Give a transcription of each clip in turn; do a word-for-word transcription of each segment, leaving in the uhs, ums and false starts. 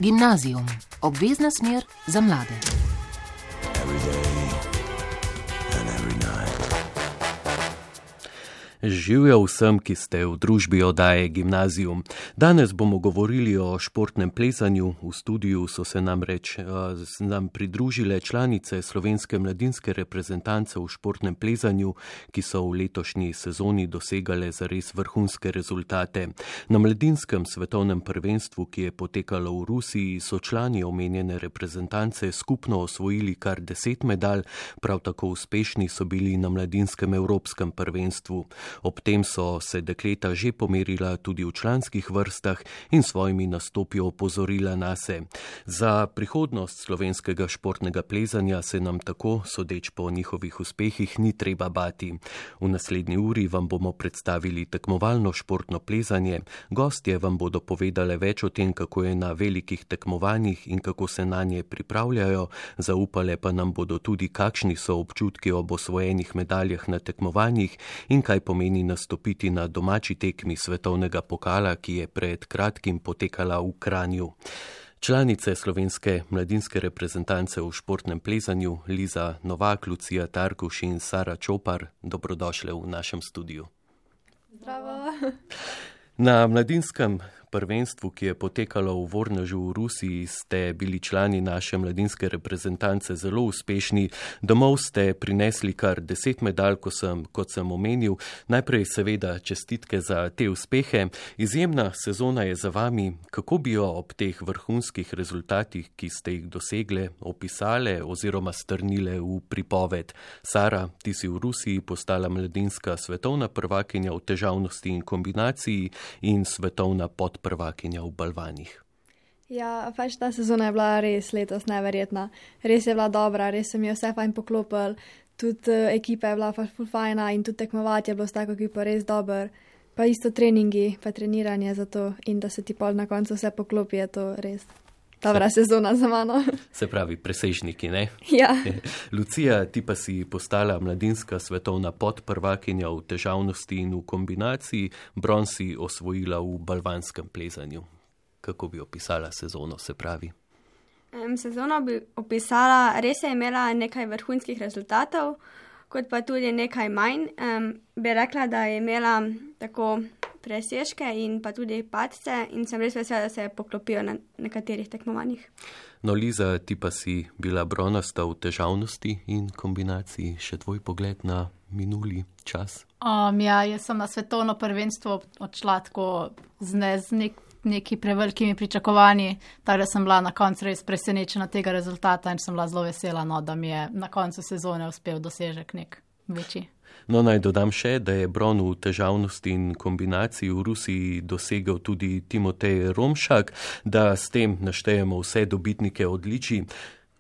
Gimnazijum, obvezna smer za mlade. Živjo vsem, ki ste v družbi oddaje Gimnazijum. Danes bomo govorili o športnem plezanju. V studiu so se nam reč, nam pridružile članice slovenske mladinske reprezentance v športnem plezanju, ki so v letošnji sezoni dosegale zares vrhunske rezultate. Na mladinskem svetovnem prvenstvu, ki je potekalo v Rusiji, so člani omenjene reprezentance skupno osvojili kar deset medalj, prav tako uspešni so bili na mladinskem evropskem prvenstvu. Ob tem so se dekleta že pomerila tudi v članskih vrstah in svojimi nastopi opozorila nase. Za prihodnost slovenskega športnega plezanja se nam tako, sodeč po njihovih uspehih, ni treba bati. V naslednji uri vam bomo predstavili tekmovalno športno plezanje. Gostje vam bodo povedale več o tem, kako je na velikih tekmovanjih in kako se na nje pripravljajo. Zaupale pa nam bodo tudi, kakšni so občutki ob osvojenih medaljah na tekmovanjih in kaj pomeni nastopiti na domači tekmi svetovnega pokala, ki je pred kratkim potekala v Kranju. Članice slovenske mladinske reprezentance v športnem plezanju, Liza Novak, Lucija Tarkuš in Sara Čopar, dobrodošle v našem studiu. Zdravo. Na mladinskem prvenstvu, ki je potekalo v Vornežu v Rusiji, ste bili člani naše mladinske reprezentance zelo uspešni. Domov ste prinesli kar deset medalj, ko sem, kot sem omenil. Najprej seveda čestitke za te uspehe. Izjemna sezona je za vami. Kako bi jo ob teh vrhunskih rezultatih, ki ste jih dosegle, opisale oziroma strnile v pripoved? Sara, ti si v Rusiji postala mladinska svetovna prvakinja v težavnosti in kombinaciji in svetovna pod prvakinja v balvanih. Ja, pač ta sezona je bila res letos neverjetna. Res je bila dobra, res se mi je vse fajn poklopil. Tudi uh, ekipa je bila ful fajna in tudi tekmovati je bilo s tako ekipo res dober. Pa isto treningi, pa treniranje za to in da se ti pol na koncu vse poklopi, je to res dobra se, sezona za mano. Se pravi, presežniki, ne? Ja. Lucija, ti pa si postala mladinska svetovna podprvakinja v težavnosti in v kombinaciji, bron si osvojila v balvanskem plezanju. Kako bi opisala sezono, se pravi? Um, sezono bi opisala, res je imela nekaj vrhunskih rezultatov, kot pa tudi nekaj manj. Um, bi rekla, da je imela tako presežke in pa tudi padce in sem res vesela, da se poklopijo na nekaterih tekmovanjih. No, Liza, ti pa si bila bronasta v težavnosti in kombinaciji. Še tvoj pogled na minuli čas? Um, ja, jaz sem na svetovno prvenstvo odšla tako z, ne, z nek, neki prevelikimi pričakovanji, tako da sem bila na koncu res presenečena tega rezultata in sem bila zelo vesela, no, da mi je na koncu sezone uspel dosežek nek večji. No, naj dodam še, da je bron v težavnosti in kombinaciji v Rusiji dosegel tudi Timotej Romšak, da s tem naštejemo vse dobitnike odličij.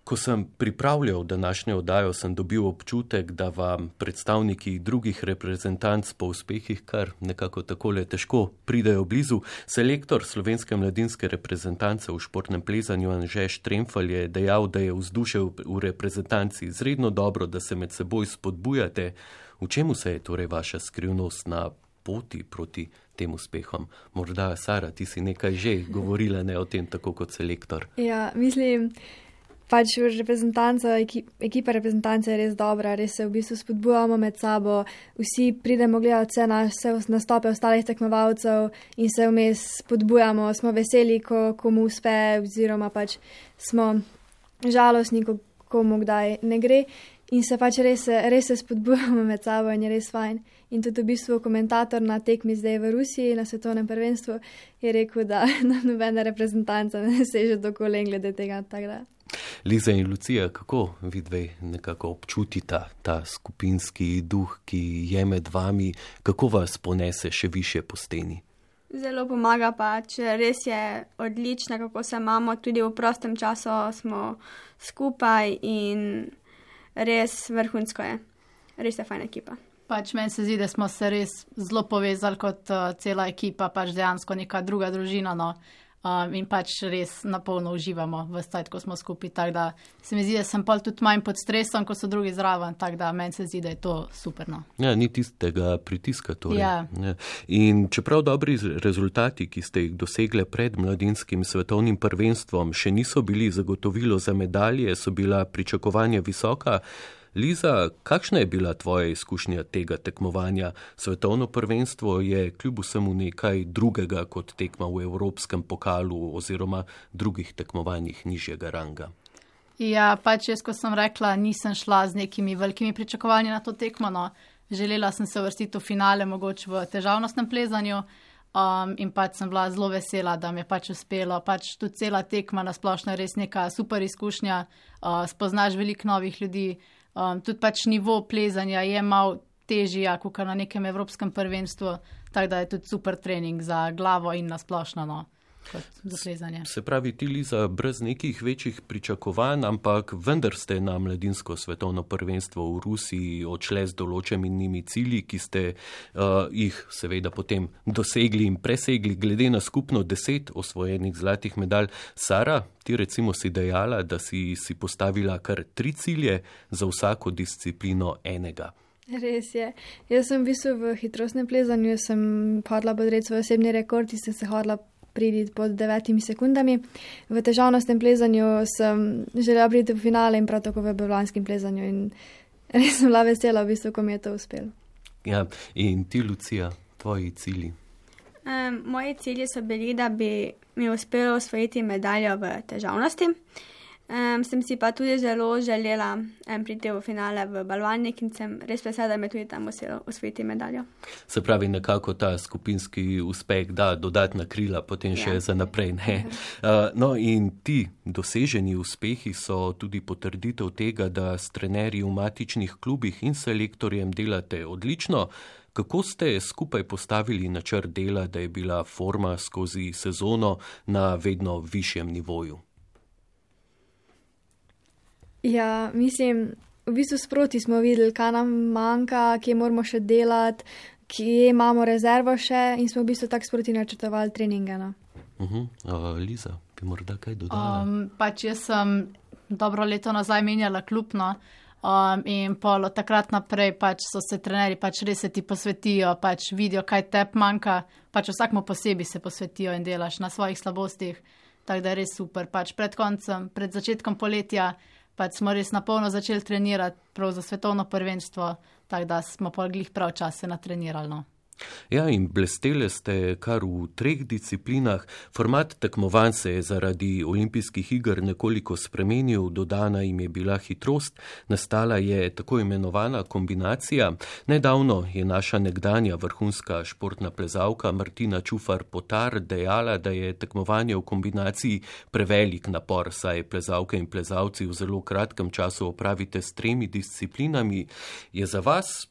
Ko sem pripravljal današnjo oddajo, sem dobil občutek, da vam predstavniki drugih reprezentanc po uspehih kar nekako takole težko pridejo blizu. Selektor slovenske mladinske reprezentance v športnem plezanju Anže Štremfelj je dejal, da je vzdušje v reprezentanci izredno dobro, da se med seboj spodbujate. V čemu se je torej vaša skrivnost na poti proti tem uspehom? Morda, Sara, ti si nekaj že govorila, ne o tem, tako kot selektor. Ja, mislim, pač reprezentanca, ekipa reprezentance je res dobra, res se v bistvu spodbujamo med sabo, vsi pridemo gledati vse, na, vse nastope ostalih tekmovalcev in se vmes spodbujamo, smo veseli, ko komu uspe, oziroma pač smo žalostni, ko komu kdaj ne gre. In se pač res, res se spodbujamo med sabo in je res fajn. In tudi v bistvu komentator na tekmi zdaj v Rusiji na svetovnem prvenstvu je rekel, da nobena reprezentanca ne seže do kolen glede tega. Tako da. Liza in Lucija, kako vidve nekako občutita ta skupinski duh, ki je med vami, kako vas ponese še više po steni? Zelo pomaga pač, res je odlično, kako se imamo, tudi v prostem času smo skupaj in res vrhunsko je. Res je fajna ekipa. Pač meni se zdi, da smo se res zelo povezali kot uh, cela ekipa, pač dejansko neka druga družina, no. um, in pač res napolno uživamo v stajt, ko smo skupaj. Tako da se mi zdi, da sem pol tudi manj pod stresom, ko so drugi zraven, tako da meni se zdi, da je to super. No. Ja, ni tistega pritiska torej. Ja. Ja. In čeprav dobri rezultati, ki ste jih dosegle pred mladinskim svetovnim prvenstvom, še niso bili zagotovilo za medalje, so bila pričakovanja visoka. Liza, kakšna je bila tvoja izkušnja tega tekmovanja? Svetovno prvenstvo je kljub vsemu nekaj drugega kot tekma v Evropskem pokalu oziroma drugih tekmovanjih nižjega ranga. Ja, pač jaz, ko sem rekla, nisem šla z nekimi velikimi pričakovanji na to tekmo. No. Želela sem se uvrstiti v finale, mogoče v težavnostnem plezanju. Um, in pač sem bila zelo vesela, da mi je pač uspelo. Pač tudi cela tekma na splošno je res neka super izkušnja, uh, spoznaš veliko novih ljudi. Um, tudi pač nivo plezanja je malo težji, kot na nekem evropskem prvenstvu, tako da je tudi super trening za glavo in na splošno, no, kot za plezanje. Se pravi, ti, Liza, brez nekih večjih pričakovanj, ampak vendar ste na mladinsko svetovno prvenstvo v Rusiji odšle z določenimi cilji, ki ste uh, jih seveda potem dosegli in presegli, glede na skupno deset osvojenih zlatih medalj. Sara, ti recimo si dejala, da si si postavila kar tri cilje, za vsako disciplino enega. Res je. Jaz sem v bistvu v hitrostnem plezanju, sem hodila podreti svoj osebni rekord, in sem se hodila priditi pod devetimi sekundami. V težavnostnem plezanju sem želela priti v finale in prav tako v balvanskem plezanju in res sem bila vesela, v bistvu, ko mi je to uspelo. Ja, in ti, Lucija, tvoji cilji? Um, moji cilji so bili, da bi mi uspelo osvojiti medaljo v težavnosti. Um, sem si pa tudi zelo želela um, priti v finale v balvanik in sem res vesela, da mi je tudi tam uspelo osvojiti medaljo. Se pravi, nekako ta skupinski uspeh da dodatna krila, potem še ja. za naprej. Ne? Uh, no in ti doseženi uspehi so tudi potrditev tega, da s trenerji v matičnih klubih in selektorjem delate odlično. Kako ste skupaj postavili načrt dela, da je bila forma skozi sezono na vedno višjem nivoju? Ja, mislim, v bistvu sproti smo videli, kaj nam manjka, kje moramo še delati, kje imamo rezervo še in smo v bistvu tako sproti načrtovali treninge. No. Uh-huh. uh, Liza, bi morda kaj dodala? Um, pač jaz sem dobro leto nazaj menjala klub, no, um, in pol od takrat naprej pač so se trenerji pač res se ti posvetijo, pač vidijo, kaj tebi manjka, pač vsakmu posebej se posvetijo in delaš na svojih slabostih, tako da je res super. Pač pred koncem, pred začetkom poletja, pač smo res napolno začeli trenirati prav za svetovno prvenstvo, tako da smo pol glih prav čas se natrenirali. No. Ja, in blestele ste kar v treh disciplinah. Format tekmovanj se je zaradi olimpijskih iger nekoliko spremenil, dodana jim je bila hitrost, nastala je tako imenovana kombinacija. Nedavno je naša nekdanja vrhunska športna plezalka Martina Čufar-Potar dejala, da je tekmovanje v kombinaciji prevelik napor, saj plezalke in plezalci v zelo kratkem času opravite s tremi disciplinami. Je za vas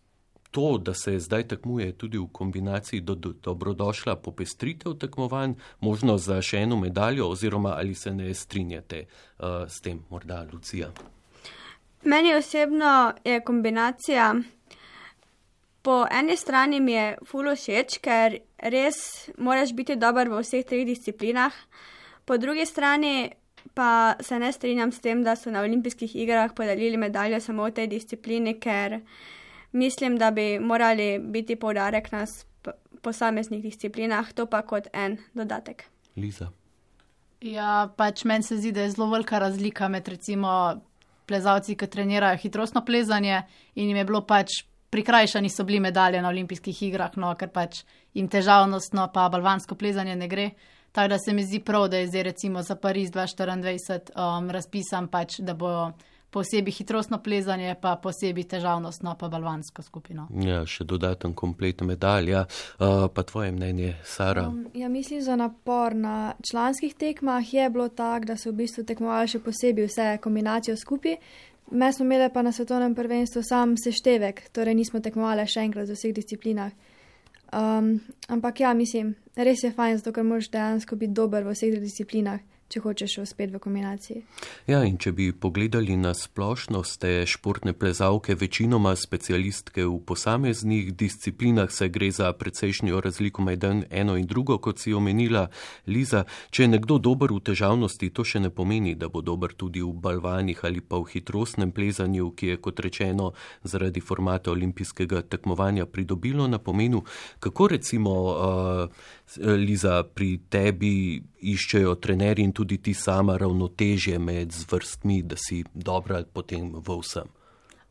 to, da se zdaj tekmuje tudi v kombinaciji do, do, dobrodošla popestritev tekmovanj, možno za še eno medaljo, oziroma ali se ne strinjate uh, s tem, morda Lucija? Meni osebno je kombinacija, po eni strani mi je ful všeč, ker res moraš biti dober v vseh treh disciplinah, po drugi strani pa se ne strinjam s tem, da so na olimpijskih igrah podelili medaljo samo v tej disciplini, ker mislim, da bi morali biti poudarek na posameznih disciplinah, to pa kot en dodatek. Liza? Ja, pač meni se zdi, da je zelo velika razlika med recimo plezalci, ki trenirajo hitrostno plezanje in jim je bilo pač prikrajšani so bili medalje na olimpijskih igrah, no, ker pač jim težavnostno pa balvansko plezanje ne gre. Tako da se mi zdi prav, da je zdaj recimo za Pariz dva tisoč štiriindvajset um, razpisan pač, da bo posebej hitrostno plezanje, pa posebej težavnostno, pa balvansko skupino. Ja, še dodaten komplet medalja. Uh, pa tvoje mnenje, Sara? Um, ja, mislim, za napor na članskih tekmah je bilo tako, da so v bistvu tekmovali še posebej vse kombinacijo skupaj. Me smo imeli pa na svetovnem prvenstvu sam seštevek, torej nismo tekmovali še enkrat v vseh disciplinah. Um, ampak ja, mislim, res je fajn, zato ker moraš dejansko biti dober v vseh disciplinah, če hočeš uspeti v kombinaciji. Ja, in če bi pogledali na splošno, ste športne plezalke večinoma specialistke v posameznih disciplinah, se gre za precejšnjo razliko med eno in drugo, kot si omenila, Liza. Če je nekdo dober v težavnosti, to še ne pomeni, da bo dober tudi v balvanih ali pa v hitrostnem plezanju, ki je, kot rečeno, zaradi formata olimpijskega tekmovanja pridobilo na pomenu. Kako recimo, uh, Liza, pri tebi iščejo trenerji in tudi ti sama ravnotežje med zvrstmi, da si dobra potem v vsem?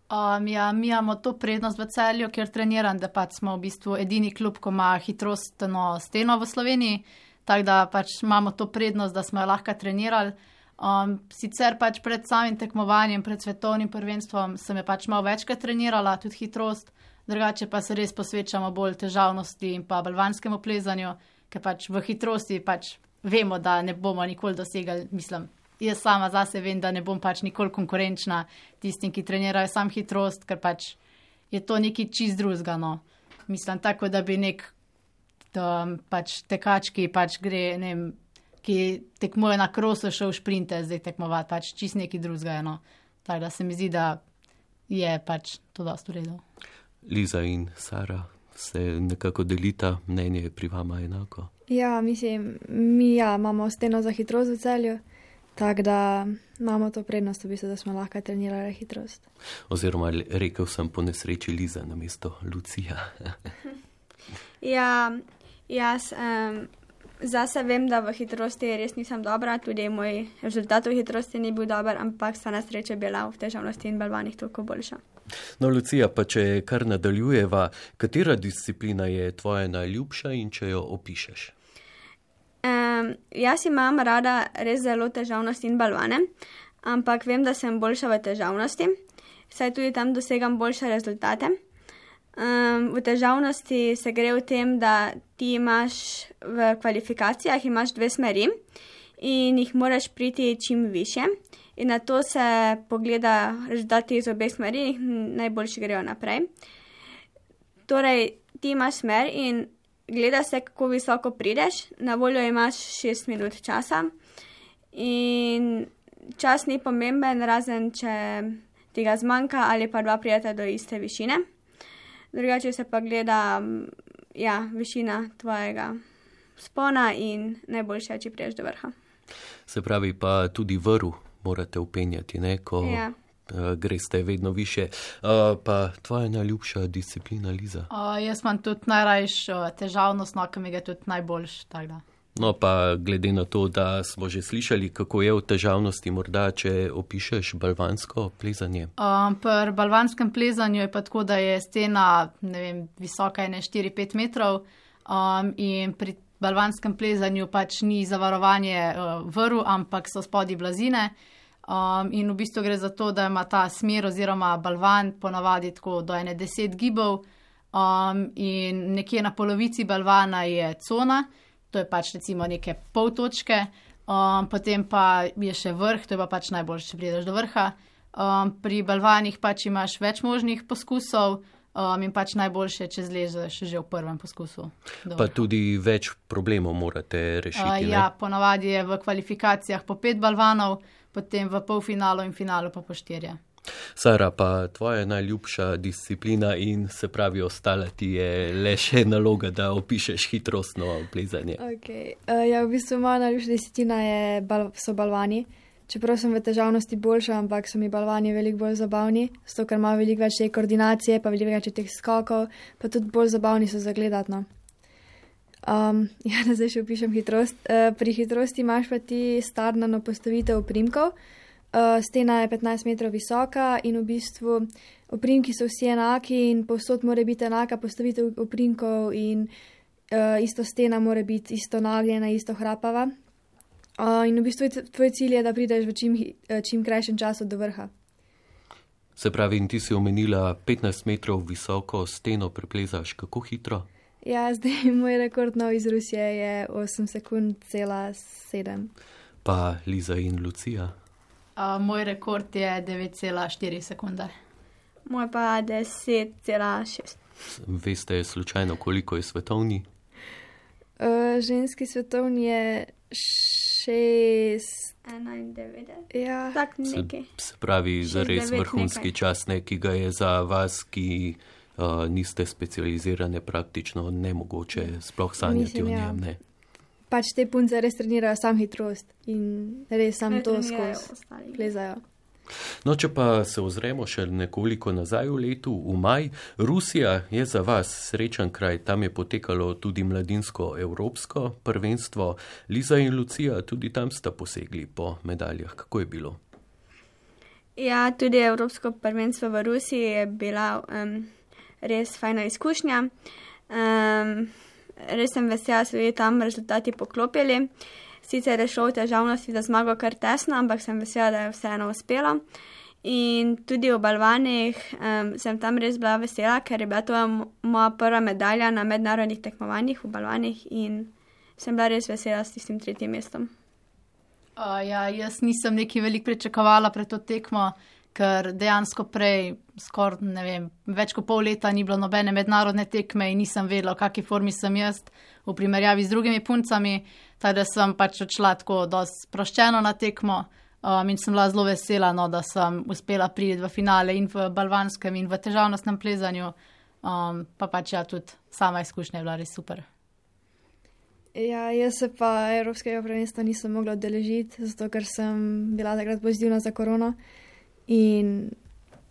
Um, ja, mi imamo to prednost v Celju, ker treniram, da pač smo v bistvu edini klub, ko ima hitrostno steno v Sloveniji, tako da pač imamo to prednost, da smo jo lahko trenirali. Um, sicer pač pred samim tekmovanjem, pred svetovnim prvenstvom sem je pač malo večkrat trenirala, tudi hitrost, drugače pa se res posvečamo bolj težavnosti in pa balvanskemu plezanju, ker pač v hitrosti pač vemo, da ne bomo nikoli dosegali, mislim, jaz sama zase vem, da ne bom pač nikoli konkurenčna tistim, ki trenirajo sam hitrost, ker pač je to nekaj čist drugega, no. Mislim, tako da bi nek um, pač tekač, ki pač gre, ne vem, ki tekmuje na krosu, šel v šprinte zdaj tekmovati, pač čist nekaj drugega, no. Tako da se mi zdi, da je pač to dosti v redu. Liza in Sara, se nekako delita, mnenje je pri vama enako? Ja, mislim, mi ja, imamo steno za hitrost v Celju, tako da imamo to prednost, v bistvu, da smo lahko trenirali hitrost. Oziroma, rekel sem po nesreči Liza namesto Lucija. Ja, jaz um, zase vem, da v hitrosti res nisem dobra, tudi moj rezultat v hitrosti ni bil dober, ampak sta na srečo bila v težavnosti in balvanih toliko boljša. No, Lucija, pa če kar nadaljujeva, katera disciplina je tvoja najljubša in če jo opišeš? Um, jaz imam rada res zelo težavnost in balvane, ampak vem, da sem boljša v težavnosti, saj tudi tam dosegam boljše rezultate. Um, v težavnosti se gre v tem, da ti imaš v kvalifikacijah imaš dve smeri in jih moraš priti čim više. In na to se pogleda rezultati iz obeh smeri in najboljši grejo naprej. Torej, ti imaš smer in gleda se, kako visoko prideš. Na voljo imaš šest minut časa in čas ni pomemben, razen če ti ga zmanjka ali pa dva prijeta do iste višine. Drugače se pa gleda ja, višina tvojega spona in najboljše, če priješ do vrha. Se pravi pa tudi vrv morate upenjati, ne, ko ja. uh, greste vedno više. Uh, pa tvoja najljubša disciplina, Liza? Uh, jaz imam tudi najrajš uh, težavnost, no, ki mi je tudi najboljš, tako da. No, pa glede na to, da smo že slišali, kako je v težavnosti, morda, če opišeš balvansko plezanje? Um, pri balvanskem plezanju je pa tako, da je stena, ne vem, visoka je ne štiri pet metrov um, in pri balvanskem plezanju pač ni zavarovanje uh, vrv, ampak so spodaj blazine. Um, in v bistvu gre za to, da ima ta smer oziroma balvan ponavadi tako do ene deset gibov um, in nekje na polovici balvana je cona, to je pač recimo neke pol točke, um, potem pa je še vrh, to je pa pač najboljše, če prideš do vrha. Um, pri balvanih pač imaš več možnih poskusov, Um, in pač najboljše, če zlezeš že v prvem poskusu. Pa tudi več problemov morate rešiti, uh, ja, ponavadi je v kvalifikacijah po pet balvanov, potem v polfinalu in finalu pa po štirje. Sara, pa tvoja najljubša disciplina in se pravi ostala ti je le še naloga, da opišeš hitrostno plezanje. Okay. Uh, ja, v bistvu moja najljubša disciplina je bal- so balvani. Čeprav sem v težavnosti boljša, ampak so mi balvani veliko bolj zabavni, zato ker imajo veliko več te koordinacije, pa veliko več teh skokov, pa tudi bolj zabavni so za gledati, no. Um, ja, da zdaj še opišem hitrost. Uh, pri hitrosti imaš pa ti startno postavitev oprimkov. Uh, stena je petnajst metrov visoka in v bistvu oprimki so vsi enaki in povsod mora biti enaka postavitev oprimkov in uh, isto stena mora biti isto nagljena, isto hrapava. Uh, in v bistvu tvoj cilj je, da prideš v čim, čim krajšem času do vrha. Se pravi, in ti si omenila petnajst metrov visoko steno preplezaš, kako hitro? Ja, zdaj moj rekord nov iz Rusije je osem sekund cela sedem. Pa Liza in Lucija? Uh, moj rekord je devet cela štiri sekunde. Moj pa deset cela šest. Veste slučajno, koliko je svetovni? Uh, ženski svetovni je šest. enaindevetdeset. Ja. Tak Se, nekaj. se pravi, Šest, zares devet vrhunski nekaj. čas, ne, ki ga je za vas, ki uh, niste specializirane, praktično nemogoče sploh sanjati Mislim, o ja. njem. Ne. Pač te punce res trenirajo sam hitrost in res sam Ne to trenirajo skozi ostali. plezajo. No, če pa se ozremo še nekoliko nazaj v letu, v maj, Rusija je za vas srečen kraj, tam je potekalo tudi mladinsko evropsko prvenstvo. Liza in Lucija, tudi tam sta posegli po medaljah. Kako je bilo? Ja, tudi Evropsko prvenstvo v Rusiji je bila um, res fajna izkušnja. Um, res sem vesela, da so bili tam rezultati poklopili. Sicer je šlo v težavnosti za zmago kar tesno, ampak sem vesela, da je vseeno uspelo. In tudi v balvanih um, sem tam res bila vesela, ker je bila to moja prva medalja na mednarodnih tekmovanjih v balvanih in sem bila res vesela s tistim tretjim mestom. Uh, ja, jaz nisem nekaj veliko pričakovala pred to tekmo, ker dejansko prej skoraj, ne vem, več kot pol leta ni bilo nobene mednarodne tekme in nisem vedela, v kakšni formi sem jaz v primerjavi z drugimi puncami, tako da sem pač odšla tako dosti sproščeno na tekmo um, in sem bila zelo vesela, no, da sem uspela priti v finale in v balvanskem in v težavnostnem plezanju, um, pa pač ja, tudi sama izkušnja je bila res super. Ja, jaz se pa Evropskega prvenstva nisem mogla udeležiti, zato ker sem bila takrat pozitivna za korono in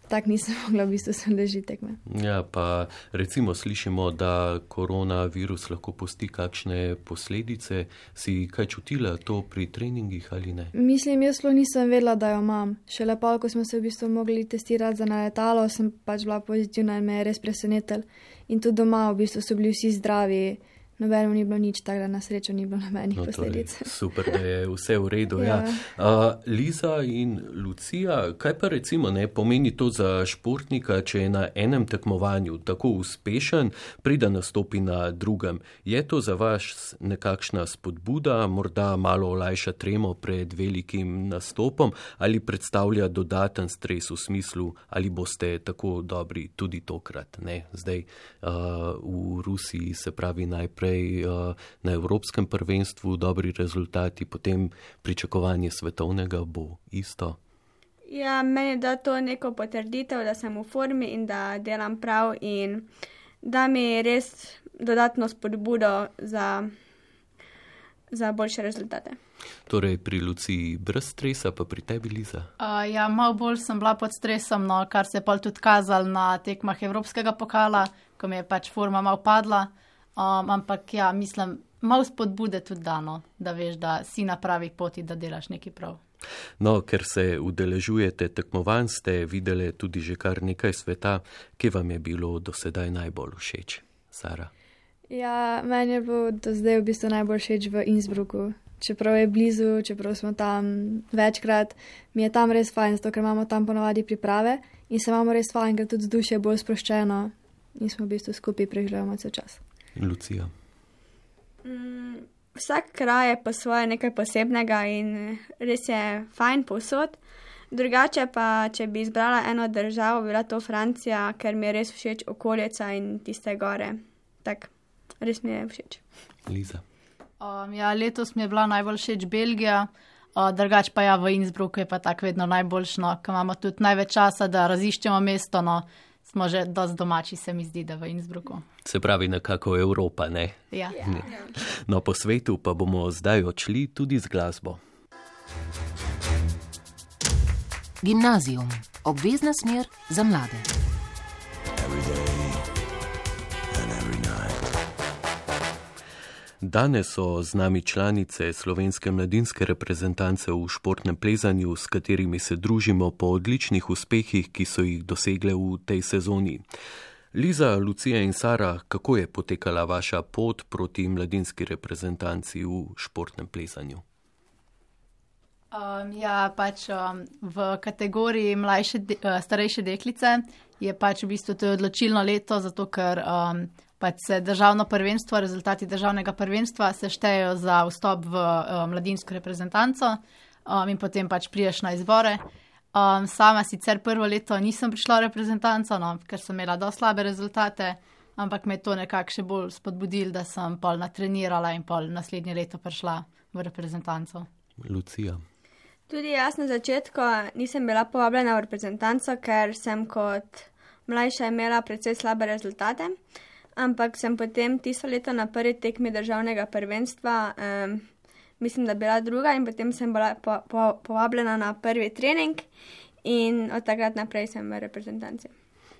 tako nisem mogla v bistvu se udeležiti tekme. Ja, pa recimo slišimo, da koronavirus lahko pusti kakšne posledice. Si kaj čutila to pri treningih ali ne? Mislim, jaz sploh nisem vedela, da jo imam. Šele pa, ko smo se v bistvu mogli testirati za na letalo, sem pač bila pozitivna in me je res presenetil. In tudi doma v bistvu so bili vsi zdravi. Nobenemu ni bilo nič, tako da na srečo ni bilo nobenih No, posledic. torej, super, da je vse v redu. Ja. Ja. Uh, Liza in Lucija, kaj pa recimo ne pomeni to za športnika, če je na enem tekmovanju tako uspešen, prida nastopi na drugem? Je to za vas nekakšna spodbuda, morda malo olajša tremo pred velikim nastopom ali predstavlja dodaten stres v smislu, ali boste tako dobri tudi tokrat? Ne? Zdaj uh, v Rusiji se pravi najprej na Evropskem prvenstvu dobri rezultati, potem pričakovanje svetovnega bo isto. Ja, meni da to neko potrditev, da sem v formi in da delam prav in da mi res dodatno spodbudo za, za boljše rezultate. Torej pri Luciji brez stresa, pa pri tebi, Liza? Uh, ja, malo bolj sem bila pod stresom, no, kar se je pol tudi kazalo na tekmah Evropskega pokala, ko mi je pač forma malo padla. Um, ampak ja, mislim, malo spodbude tudi dano, da veš, da si na pravi poti, da delaš nekaj prav. No, ker se udeležujete tekmovanj, ste videli tudi že kar nekaj sveta. Kje vam je bilo do sedaj najbolj všeč, Sara? Ja, meni je bilo do zdaj v bistvu najbolj všeč v Innsbrucku. Čeprav je blizu, čeprav smo tam večkrat, mi je tam res fajn, zato ker imamo tam ponovadi priprave in se imamo res fajn, ker tudi vzdušje je bolj sproščeno in smo v bistvu skupaj preživljamo cel čas. Lucija. Mm, vsak kraj je po svoje nekaj posebnega in res je fajn povsod. Drugače pa, če bi izbrala eno državo, bila to Francija, ker mi je res všeč okolica in tiste gore. Tak, res mi je všeč. Liza. Um, ja, letos mi je bila najbolj všeč Belgija, uh, drugače pa ja, v Innsbrucku je pa tako vedno najboljšno, ker imamo tudi največ časa, da raziščemo mesto, no. Smo že dosti domači, se mi zdi, da v Innsbrucku. Se pravi nekako Evropa, ne? Ja. Ne. No, po svetu pa bomo zdaj odšli tudi z glasbo. Gimnazijum. Obvezna smer za mlade. Danes so z nami članice slovenske mladinske reprezentance v športnem plezanju, s katerimi se družimo po odličnih uspehih, ki so jih dosegle v tej sezoni. Liza, Lucija in Sara, kako je potekala vaša pot proti mladinski reprezentanci v športnem plezanju? Um, ja, pač um, v kategoriji mlajše, de, uh, starejše deklice je pač v bistvu to odločilno leto, zato ker um, pač se državno prvenstvo, rezultati državnega prvenstva se štejejo za vstop v um, mladinsko reprezentanco um, in potem pač priješ na izbore. Um, sama sicer prvo leto nisem prišla v reprezentanco, no, ker sem imela dosti slabe rezultate, ampak me je to nekako še bolj spodbudilo, da sem pol natrenirala in pol naslednje leto prišla v reprezentanco. Lucija. Tudi jaz na začetku nisem bila povabljena v reprezentanco, ker sem kot mlajša imela precej slabe rezultate, ampak sem potem tisto leto na prvi tekmi državnega prvenstva, um, mislim, da bila druga in potem sem bila po, po, povabljena na prvi trening in od takrat naprej sem v reprezentanci.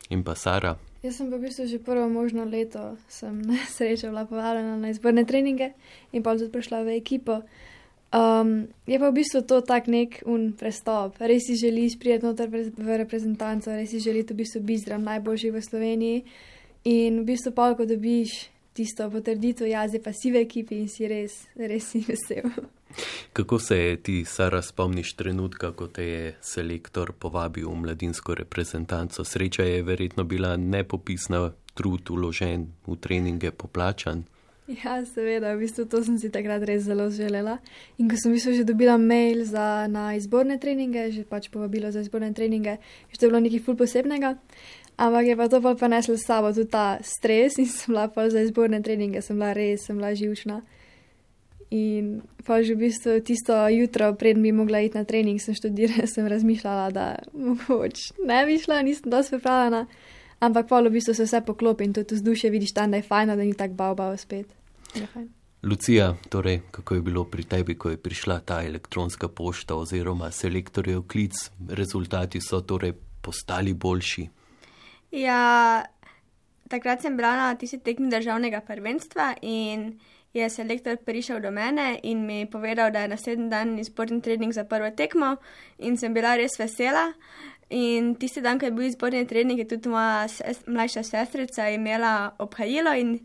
In pa Sara? Jaz sem pa v bistvu že prvo možno leto, sem na srečo bila povabljena na izborne treninge in pa tudi prišla v ekipo. Um, je pa v bistvu to tak nek un prestop. Res si želiš prijeti noter v reprezentanco, res si želiš v bistvu biti zdrav najboljši v Sloveniji in v bistvu pa, ko dobiš tisto potrditev, jaz pa si v ekipi in si res, res si vesel. Kako se je ti, Sara, spomniš trenutka, ko te je selektor povabil v mladinsko reprezentanco? Sreča je verjetno bila nepopisna, trud uložen v treninge poplačan. Ja, seveda, v bistvu to sem si takrat res zelo želela. In ko sem v bistvu že dobila mail za, na izborne treninge, že pač povabilo za izborne treninge, že to je bilo nekaj ful posebnega, ampak je pa to pa preneslo s sabo tudi ta stres in sem bila pa za izborne treninge, sem bila res, sem bila živčna. In pa že v bistvu tisto jutro, preden bi mogla iti na trening, sem študirala, sem razmišljala, da mogoče ne bi šla, nisem dosti pripravljena. Ampak pa v bistvu se vse poklopi in tudi vzdušje vidiš tam, da je fajno, da ni tak bav bav spet. Lucija, torej, kako je bilo pri tebi, ko je prišla ta elektronska pošta oziroma selektorjev klic, rezultati so torej postali boljši? Ja, takrat sem bila na tisti tekmi državnega prvenstva in je selektor prišel do mene in mi povedal, da je naslednji dan izborni trening za prvo tekmo in sem bila res vesela. In tisti dan, ko je bil izborni trening, je tudi moja ses, mlajša sestrica imela obhajilo in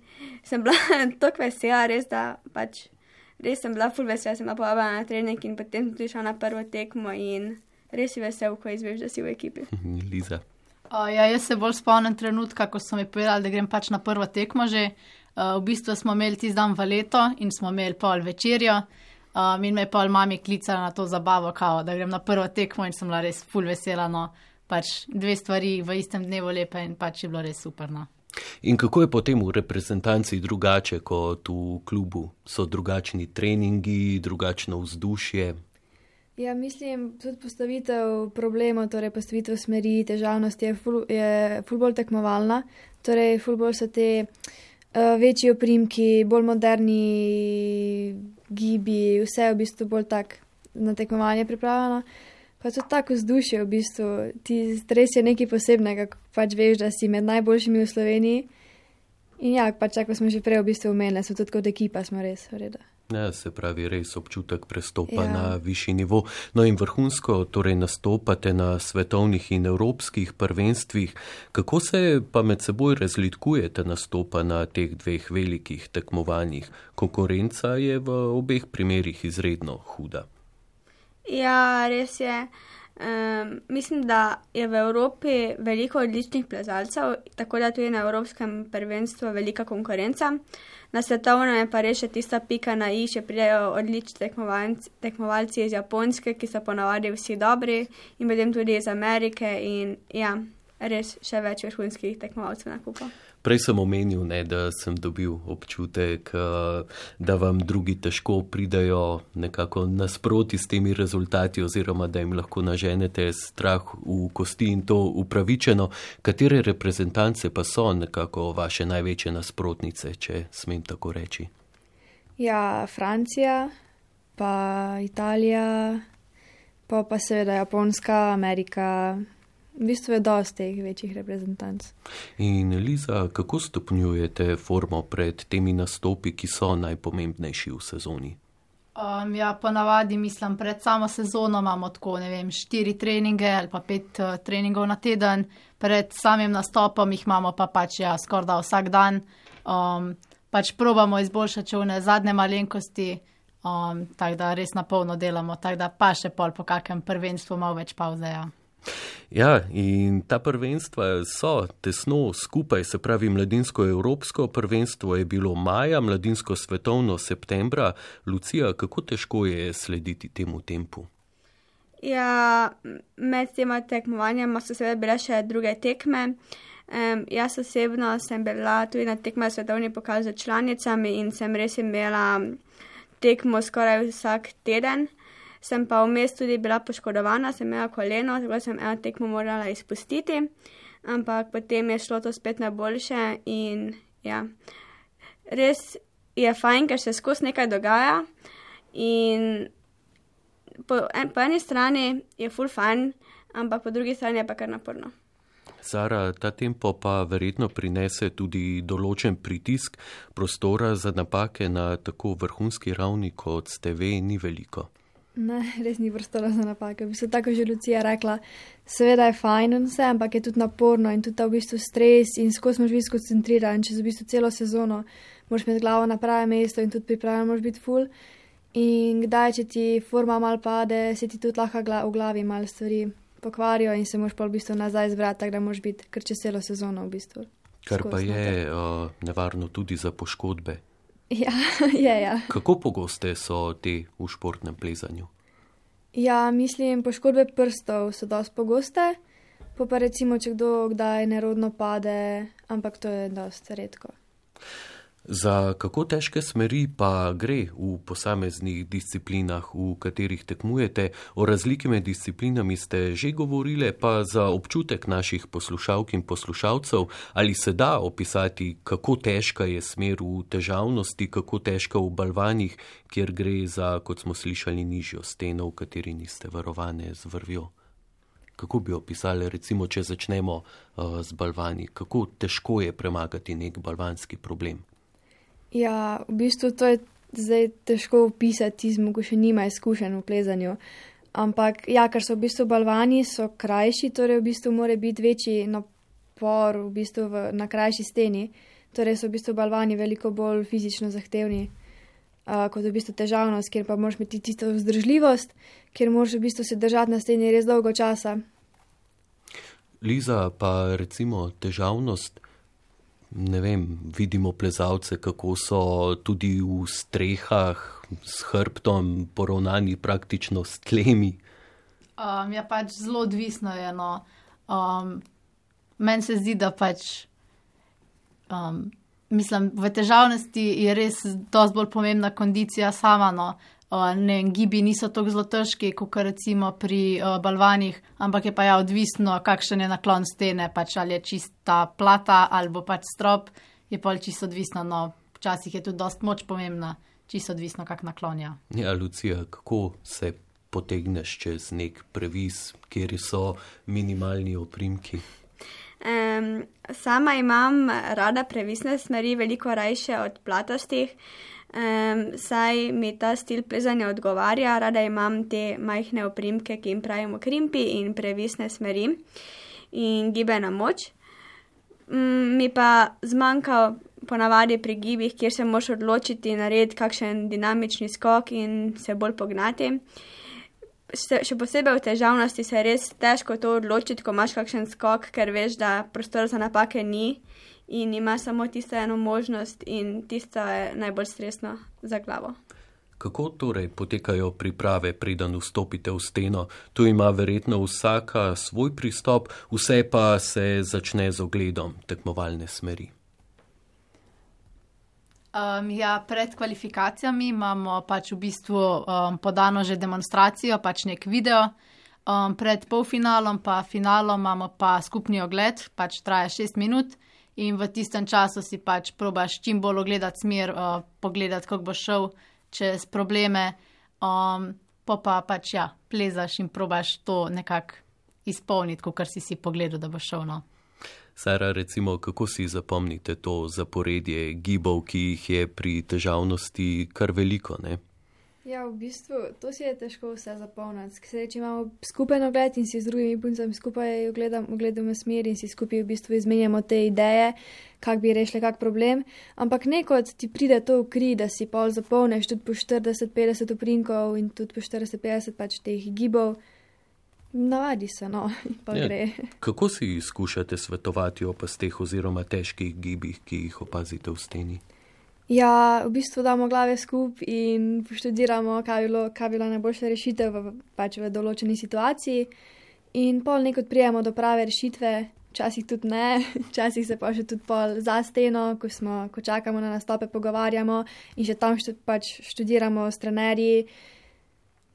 sem bila tako vesela, res da pač, res sem bila ful vesela, sem bila povabljena na trening in potem sem tudi šla na prvo tekmo in res si vesel, ko izveš, da si v ekipi. Liza. Uh, ja, jaz se bolj spomnim trenutka, ko so mi povedali, da grem pač na prvo tekmo že. Uh, v bistvu smo imeli tisti dan v leto in smo imeli pol večerjo. Um, in me je pol mami klicala na to zabavo, kao, da grem na prvo tekmo in sem bila res ful vesela, no, pač dve stvari v istem dnevu lepe in pač je bilo res super, no. In kako je potem v reprezentanci drugače kot v klubu? So drugačni treningi, drugačno vzdušje? Ja, mislim, tudi postavitev problemov, torej postavitev smeri, težavnosti je ful, je ful bolj tekmovalna, torej ful bolj so te uh, večji oprimki, bolj moderni gibi, vse je v bistvu bolj tak na tekmovanje pripravljeno. Pa tudi tako vzdušje v bistvu, ti res je nekaj posebnega, ko pač veš, da si med najboljšimi v Sloveniji. In ja, pač ako smo že prej v bistvu omenili, so tudi kot ekipa smo res v redu. Ja, se pravi, res občutek prestopa ja. na višji nivo. No in vrhunsko, torej nastopate na svetovnih in evropskih prvenstvih. Kako se pa med seboj razlikujete nastopa na teh dveh velikih tekmovanjih? Konkurenca je v obeh primerih izredno huda. Ja, res je. Um, mislim, da je v Evropi veliko odličnih plezalcev, tako da tudi na evropskem prvenstvu velika konkurenca. Na svetovnem je pa res še tista pika na i, še pridejo odlični tekmovalci iz Japonske, ki so ponavadi vsi dobri in potem tudi iz Amerike in ja, res še več vrhunskih tekmovalcev na kupu. Prej sem omenil, ne, da sem dobil občutek, da vam drugi težko pridajo nekako nasproti s temi rezultati oziroma da jim lahko naženete strah v kosti in to upravičeno. Katere reprezentance pa so nekako vaše največje nasprotnice, če smem tako reči? Ja, Francija, pa Italija, pa pa seveda Japonska, Amerika. V bistvu je dosti teh večjih reprezentanc. In Liza, kako stopnjujete formo pred temi nastopi, ki so najpomembnejši v sezoni? Um, ja, ponavadi mislim, pred samo sezono imamo tako, ne vem, štiri treninge ali pa pet uh, treningov na teden. Pred samim nastopom jih imamo pa pač ja, skorda vsak dan. Um, pač probamo izboljšati čovne zadnje malenkosti, um, tako da res na polno delamo, tako da pa še pol po kakem prvenstvu malo več pauze, ja. Ja, in ta prvenstva so tesno skupaj, se pravi mladinsko-evropsko prvenstvo je bilo maja, mladinsko svetovno septembra. Lucija, kako težko je slediti temu tempu? Ja, med tema tekmovanjama so seveda bile še druge tekme. Um, jaz osebno sem bila tudi na tekme svetovni pokal za članicami in sem res imela tekmo skoraj vsak teden. sem pa vmes tudi bila poškodovana, sem imela koleno, tako sem eno tekmo morala izpustiti, ampak potem je šlo to spet na boljše in ja, res je fajn, ker se skozi nekaj dogaja in po, en, po eni strani je ful fajn, ampak po drugi strani je pa kar naporno. Sara, ta tempo pa verjetno prinese tudi določen pritisk, prostora za napake na tako vrhunski ravni, kot ste ve, ni veliko. Ne, res ni prostora za napake. V bistvu tako že Lucija rekla, seveda je fajn in vse, ampak je tudi naporno in tudi ta v bistvu stres in skozi moraš biti skoncentriran, čez v bistvu celo sezono moraš imeti glavo na pravem mestu in tudi pripravljen moraš biti ful. In kdaj, če ti forma mal pade, se ti tudi lahko v glavi mal stvari pokvarijo in se moraš pa v bistvu nazaj zbrati, tako da moraš biti kar čez celo sezono v bistvu. Kar pa je uh, nevarno tudi za poškodbe. Ja, je, ja. Kako pogoste so te v športnem plezanju? Ja, mislim, poškodbe prstov so dosti pogoste, pa pa recimo, če kdo kdaj nerodno pade, ampak to je dosti redko. Za kako težke smeri pa gre v posameznih disciplinah, v katerih tekmujete? O razliki med disciplinami ste že govorile, pa za občutek naših poslušalk in poslušalcev, ali se da opisati, kako težka je smer v težavnosti, kako težka v balvanih, kjer gre za, kot smo slišali, nižjo steno, v kateri niste varovane z vrvjo? Kako bi opisali, recimo, če začnemo uh, z balvani, kako težko je premagati nek balvanski problem? Ja, v bistvu to je zdaj težko opisati tizmu, ko še nima izkušenj v plezanju. Ampak ja, ker so v bistvu balvani, so krajši, torej v bistvu mora biti večji napor v bistvu v, na krajši steni. Torej so v bistvu balvani veliko bolj fizično zahtevni, uh, kot v bistvu težavnost, kjer pa moraš imeti tisto vzdržljivost, kjer moraš v bistvu se držati na steni res dolgo časa. Liza, pa recimo težavnost, ne vem, vidimo plezalce, kako so tudi v strehah s hrbtom poravnani praktično s tlemi. Um, ja, pač zelo odvisno je, no. Um, meni se zdi, da pač, um, mislim, v težavnosti je res dosti bolj pomembna kondicija sama, no. Uh, ne, gibi niso tako zelo težki, kot recimo pri uh, balvanih, ampak je pa ja odvisno, kakšen je naklon stene, pač ali je čista plata ali pač strop, je pa čisto odvisno, no, včasih je tudi dosti moč pomembna, čisto odvisno, kak naklonja. Ja, Lucija, kako se potegneš čez nek previs, kjer so minimalni oprimki? Um, sama imam rada previsne smeri, veliko rajše od platostih, um, saj mi ta stil plezanja odgovarja, rada imam te majhne oprimke, ki jim pravimo krimpi in previsne smeri in gibena moč. Um, mi pa zmanjka ponavadi pri gibih, kjer se moraš odločiti, narediti kakšen dinamični skok in se bolj pognati. Še posebej v težavnosti se je res težko to odločiti, ko imaš kakšen skok, ker veš, da prostora za napake ni in imaš samo tisto eno možnost in tisto je najbolj stresno za glavo. Kako torej potekajo priprave, preden vstopite v steno? Tu ima verjetno vsaka svoj pristop, vse pa se začne z ogledom tekmovalne smeri. Um, ja, pred kvalifikacijami imamo pač v bistvu um, podano že demonstracijo, pač nek video. Um, pred polfinalom pa finalom imamo pa skupni ogled, pač traja šest minut in v tistem času si pač probaš čim bolj ogledati smer, uh, pogledati, kako bo šel čez probleme, um, pa pa pač ja, plezaš in probaš to nekako izpolniti, kot si si pogledal, da bo šel, no. Sara, recimo, kako si zapomnite to zaporedje gibov, ki jih je pri težavnosti kar veliko, ne? Ja, v bistvu, to si je težko vse zapomniti. Ker če imamo skupen ogled in si z drugimi puncami skupaj ogledam, ogledamo smer in si skupaj v bistvu izmenjamo te ideje, kak bi rešili kak problem. Ampak nekod ti pride to v kri, da si pol zapomneš tudi po štirideset petdeset oprinkov in tudi po štirideset petdeset pač teh gibov. Navadi se, no, pa ja, gre. Kako si skušate svetovati o pasteh oziroma težkih gibih, ki jih opazite v steni? Ja, v bistvu damo glave skup in poštudiramo, kaj bi bilo, kaj bi bila najboljša rešitev v, pač v določeni situaciji in pol nekod prijemo do prave rešitve, včasih tudi ne, včasih se pa še tudi pol za steno, ko, smo, ko čakamo na nastope, pogovarjamo in že tam štud, pač študiramo s trenerji.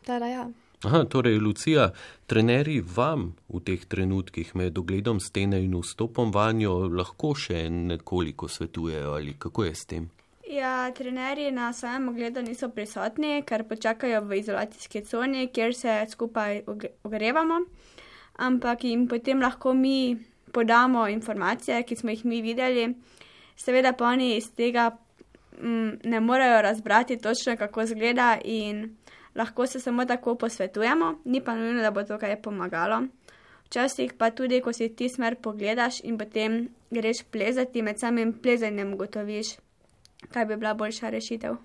Tada, ja. Aha, torej, Lucija, trenerji vam v teh trenutkih med ogledom stene in vstopom vanjo lahko še nekoliko svetujejo ali kako je s tem? Ja, trenerji na samem ogledu niso prisotni, ker počakajo v izolacijski coni, kjer se skupaj ogrevamo, ampak jim potem lahko mi podamo informacije, ki smo jih mi videli. Seveda pa oni iz tega m, ne morejo razbrati točno, kako izgleda in lahko se samo tako posvetujemo, ni pa nujno, da bo to kaj pomagalo. Včasih pa tudi, ko si ti smer pogledaš in potem greš plezati, med samim plezanjem ugotoviš, kaj bi bila boljša rešitev.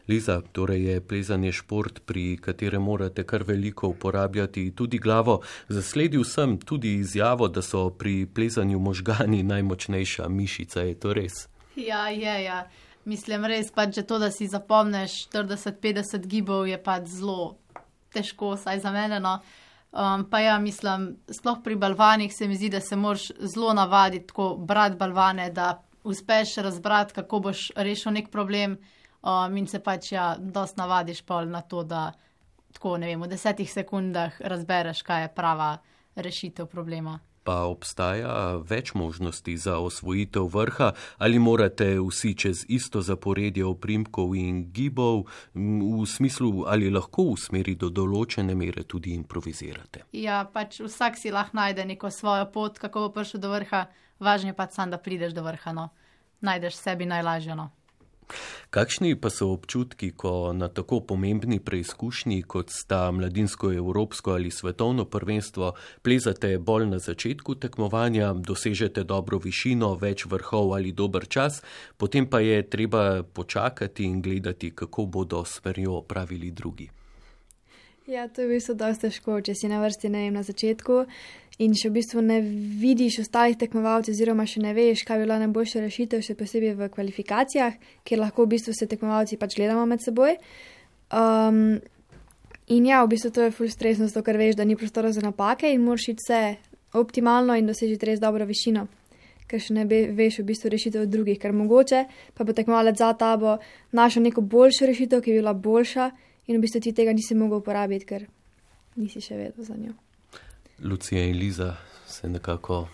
Liza, torej je plezanje šport, pri katerem morate kar veliko uporabljati tudi glavo. Zasledil sem tudi izjavo, da so pri plezanju možgani najmočnejša mišica, je to res? Ja, je, ja. Mislim, res pač, že to, da si zapomneš štirideset petdeset gibov, je pač zelo težko, saj za mene, no. Um, pa ja, mislim, sploh pri balvanih se mi zdi, da se moraš zelo navaditi, tako brati balvane, da uspeš razbrati, kako boš rešil nek problem um, in se pač, ja, dost navadiš pol na to, da tako, ne vem, v desetih sekundah razbereš, kaj je prava rešitev problema. Pa obstaja več možnosti za osvojitev vrha ali morate vsi čez isto zaporedje oprimkov in gibov, v smislu ali lahko v smeri do določene mere tudi improvizirate? Ja, pač vsak si lahko najde neko svojo pot, kako bo prišel do vrha, važno je pač sam, da prideš do vrha, no. Najdeš sebi najlažje, no. Kakšni pa so občutki, ko na tako pomembni preizkušnji, kot sta mladinsko evropsko ali svetovno prvenstvo, plezate bolj na začetku tekmovanja, dosežete dobro višino, več vrhov ali dober čas, potem pa je treba počakati in gledati, kako bodo smerjo opravili drugi? Ja, to je v bistvu dosti težko, če si na vrsti, ne vem, na začetku in še v bistvu ne vidiš ostalih tekmovalcev oziroma še ne veš, kaj bi bila najboljša rešitev, še posebej v kvalifikacijah, kjer lahko v bistvu se tekmovalci pač gledamo med seboj. Um, in ja, v bistvu to je ful stresno, zato ker veš, da ni prostora za napake in moraš iti vse optimalno in dosežiti res dobro višino, ker še ne veš v bistvu rešitev od drugih, ker mogoče pa bo tekmovalec za tabo našel neko boljšo rešitev, ki je bila boljša, in v bistvu ti tega nisi mogel uporabiti, ker nisi še vedel za njo. Lucija in Liza se nekako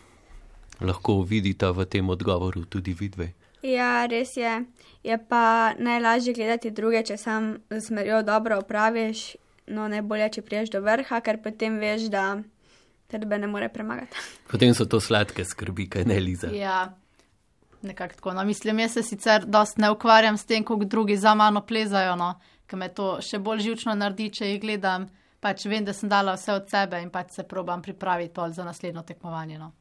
lahko vidita v tem odgovoru tudi vidve. Ja, res je. Je pa najlažje gledati druge, če sam z smerjo dobro opraviš, no najbolje, če priješ do vrha, ker potem veš, da tebe ne more premagati. Potem so to sladke skrbi, kaj ne, Liza? Ja, nekako tako. No, mislim, jaz se sicer dost ne ukvarjam s tem, kako drugi za mano plezajo, no. Ker me to še bolj živčno naredi, če jih gledam, pač vem, da sem dala vse od sebe in pač se probam pripraviti pol za naslednjo tekmovanje, no.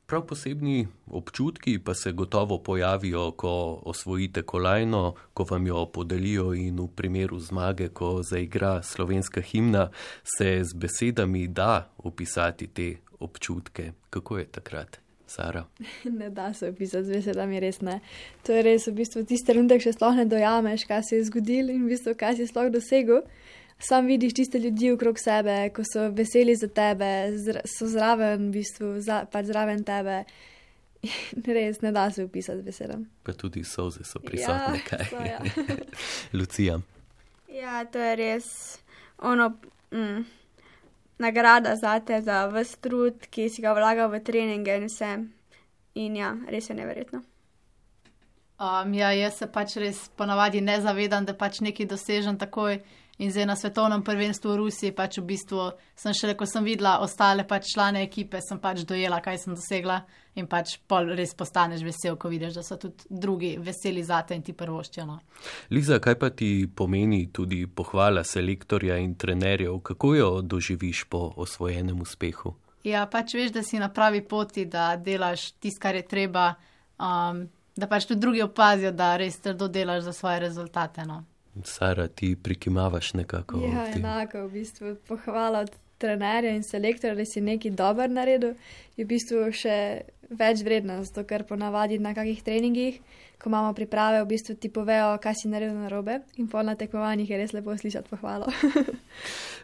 Prav posebni občutki pa se gotovo pojavijo, ko osvojite kolajno, ko vam jo podelijo in v primeru zmage, ko zaigra slovenska himna, se z besedami da opisati te občutke. Kako je takrat? Sara? Ne da se opisati z besedami, res ne. To je res v bistvu tisti trenutek še sploh ne dojameš, kaj se je zgodilo in v bistvu kaj si sploh dosegel. Sam vidiš tiste ljudi okrog sebe, ko so veseli za tebe, so zraven v bistvu, za, pač zraven tebe. Res ne da se opisati z besedami. Pa tudi solze so prisotne, ja, kaj? So, ja. Lucija? Ja, to je res ono... Mm. nagrada zate za ves trud, ki si ga vlagal v treninge in vse. In ja, res je neverjetno. Um, ja, jaz se pač res ponavadi ne zavedam, da pač nekaj dosežem takoj in zdaj na svetovnem prvenstvu v Rusiji pač v bistvu sem šele, ko sem videla ostale pač člane ekipe, sem pač dojela, kaj sem dosegla in pač pol res postaneš vesel, ko vidiš, da so tudi drugi veseli zate in ti prvoščijo, no. Liza, kaj pa ti pomeni tudi pohvala selektorja in trenerjev? Kako jo doživiš po osvojenem uspehu? Ja, pač veš, da si na pravi poti, da delaš tisto, kar je treba, um, da pač tudi drugi opazijo, da res trdo delaš za svoje rezultate, no. Sara, ti prikimavaš nekako? Ja, enako, v bistvu pohvala od trenerja in selektorja, da si nekaj dober naredil, je v bistvu še več vredno, zato ker ponavadi na kakih treningih, ko imamo priprave, v bistvu ti povejo, kaj si naredil narobe in pol na tekmovanjih je res lepo slišati pohvalo.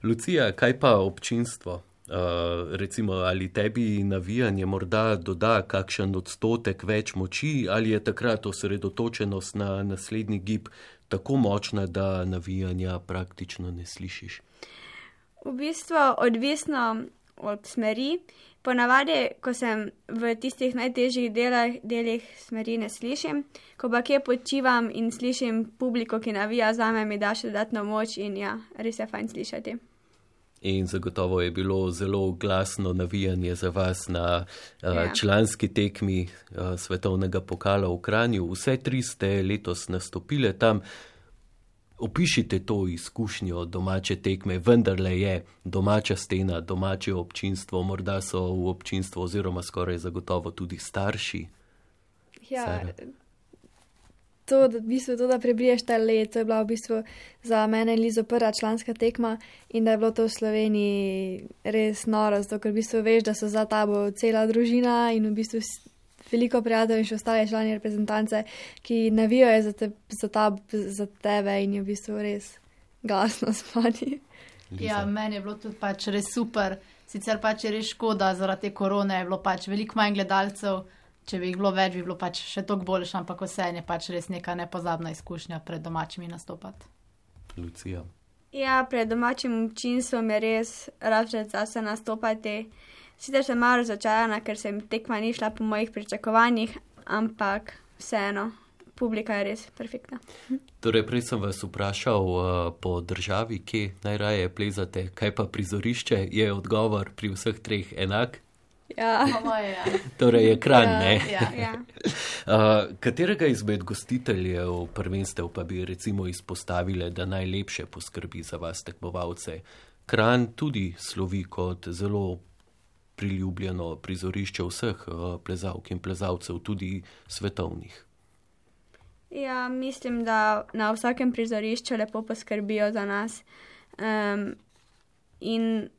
Lucija, kaj pa občinstvo? Uh, recimo, ali tebi navijanje morda doda kakšen odstotek več moči ali je takrat osredotočenost na naslednji gib tako močna, da navijanja praktično ne slišiš? V bistvu odvisno od smeri. Ponavadi, ko sem v tistih najtežjih delih, delih smeri ne slišim, ko pa kje počivam in slišim publiko, ki navija zame, mi da še dodatno moč in ja, res je fajn slišati. In zagotovo je bilo zelo glasno navijanje za vas na uh, ja. članski tekmi uh, svetovnega pokala v Kranju. Vse tri ste letos nastopile tam. Opišite to izkušnjo domače tekme, vendarle je domača stena, domače občinstvo, morda so v občinstvu oziroma skoraj zagotovo tudi starši. Ja, Sara. to, da, v bistvu, to, da prebiješ ta let, to je bila v bistvu za mene in Lizo prva članska tekma in da je bilo to v Sloveniji res noro, zato ker v bistvu veš, da so za tabo cela družina in v bistvu veliko prijateljev in še ostale člani reprezentance, ki navijajo za, te, za, ta, za tebe in je v bistvu res glasno spani. Ja, meni je bilo tudi pač res super. Sicer pač je res škoda, zaradi te korone je bilo pač veliko manj gledalcev. Če bi jih bilo več, bi bilo pač še toliko boljše, ampak vse je pač res neka nepozabna izkušnja pred domačimi nastopati. Lucija. Ja, pred domačim občinstvom je res razred zase nastopati. Sicer sem malo razočarana, ker se mi tekma ni šla po mojih pričakovanjih, ampak vseeno, publika je res perfektna. Torej, prej sem vas vprašal uh, po državi, kje najraje plezate, kaj pa prizorišče, je odgovor pri vseh treh enak? Ja. Moje, ja. Torej je Kranj, Ja. ne? Ja. Ja. Uh, katerega izmed gostiteljev prvenstev pa bi recimo izpostavile, da najlepše poskrbi za vas tekmovalce? Kranj tudi slovi kot zelo priljubljeno prizorišče vseh uh, plezalk in plezalcev, tudi svetovnih. Ja, mislim, da na vsakem prizorišču lepo poskrbijo za nas. Um, in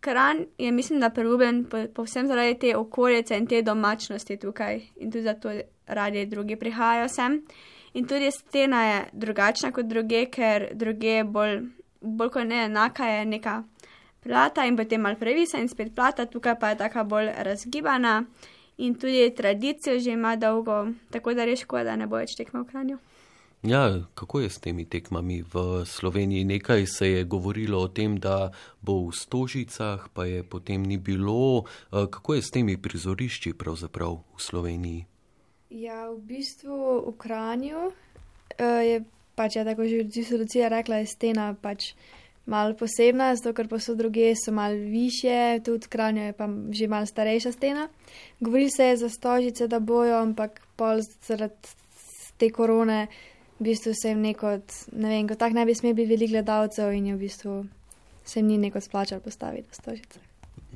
Kranj je, mislim, da priljubljen po, povsem zaradi te okolice in te domačnosti tukaj. In tudi zato radi drugi prihajajo sem. In tudi stena je drugačna kot druge, ker druge bolj, bolj kot ne enaka je neka plata in potem malo previsa in spet plata, tukaj pa je taka bolj razgibana in tudi tradicijo že ima dolgo, tako da res škoda, da ne bo več tekma v Kranju. Ja, kako je s temi tekmami v Sloveniji? Nekaj se je govorilo o tem, da bo v Stožicah, pa je potem ni bilo. Kako je s temi prizorišči pravzaprav v Sloveniji? Ja, v bistvu v Kranju uh, je pač, ja, tako že Lucija rekla, je stena pač malo posebna, zato ker pa so druge so malo višje, tudi v Kranju je pa že malo starejša stena. Govorili se je za Stožice, da bojo, ampak pol zaradi te korone v bistvu se jim neko, ne vem, ko tak ne bi smeli biti veliko gledalcev in je v bistvu se jim ni neko splačal postaviti v Stožice.